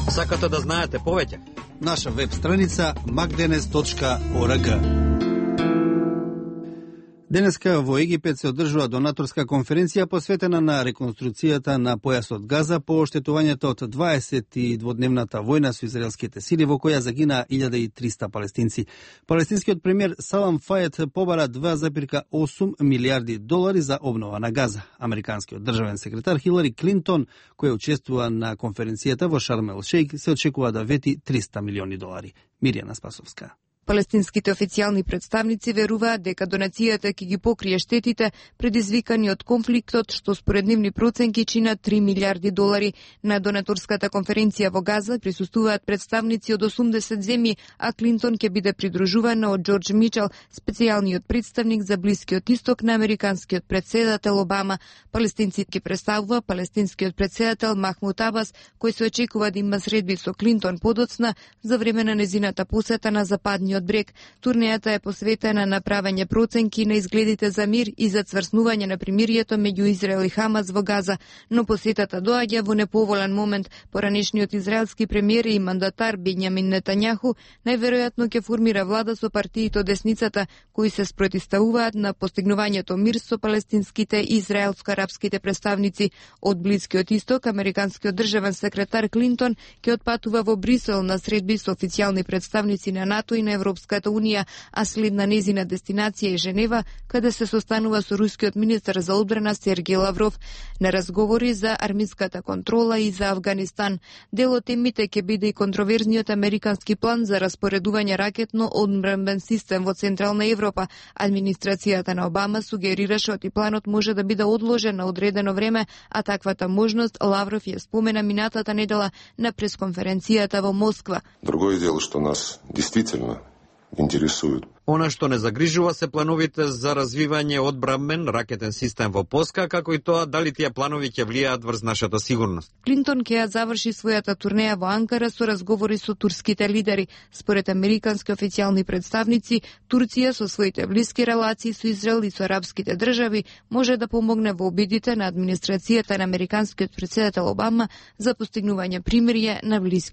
Сакате да знаете повеќе? Наша веб страница macdenes.org. Денеска во Египет се одржува донаторска конференција посветена на реконструкцијата на појасот Газа по оштетувањето од 22-дневната војна со израелските сили во која загина 1300 палестинци. Палестинскиот премиер Салам Фајед побара $2,8 милиарди за обнова на Газа. Американскиот државен секретар Хилари Клинтон, која учествува на конференцијата во Шарм ел Шејх, се очекува да вети $300 милиони. Мирјана Спасовска. Палестинските официјални представници веруваат дека донацијата ќе ги покрие штетите предизвикани од конфликтот, што според нивни проценки чинат $3 милиарди. На донаторската конференција во Газа присуствуваат представници од 80 земји, а Клинтон ќе биде придружувана од Џорџ Мичел, специјалниот представник за Блискиот исток на американскиот претседател Обама. Палестинците ќе представува палестинскиот претседател Махмуд Абас, кој се очекува да има средби со Клинтон подоцна за време на незината посета на Западниот брег. Турнејата е посветена на правење проценки на изгледите за мир и за цврснување на примирието меѓу Израел и Хамас во Газа, но посетата доаѓа во неповолен момент. Поранешниот израелски премиер и мандатар Бенјамин Нетањаху најверојатно ќе формира влада со партиите од десницата, кои се спротивставуваат на постигнувањето мир со палестинските и израелско-арапските представници. Од Блискиот исток, американскиот државен секретар Клинтон ќе отпатува во Брисел на средби со официјални представници на НАТО и на Европската унија, а следна незина дестинација е Женева, каде се состанува со рускиот министер за одбрана Сергеј Лавров на разговори за армиската контрола и за Авганистан. Дел од темите ќе биде и контроверзниот американски план за распоредување ракетно одбранбен систем во Централна Европа. Администрацијата на Обама сугерираше оти планот може да биде одложен на одредено време, а таквата можност Лавров ја спомена минатата недела на пресконференцијата во Москва. Другое дело, што нас действително интересует. Она што не загрижува се плановите за развивање одбранбен ракетен систем во Полска, како и тоа дали тие планови ќе влијаат врз нашата сигурност. Клинтон ќе ја заврши својата турнеја во Анкара со разговори со турските лидери. Според американски официјални представници, Турција со своите блиски релации со Израел и со арапските држави може да помогне во обидите на администрацијата на американскиот претседател Обама за постигнување примирие на Блискиот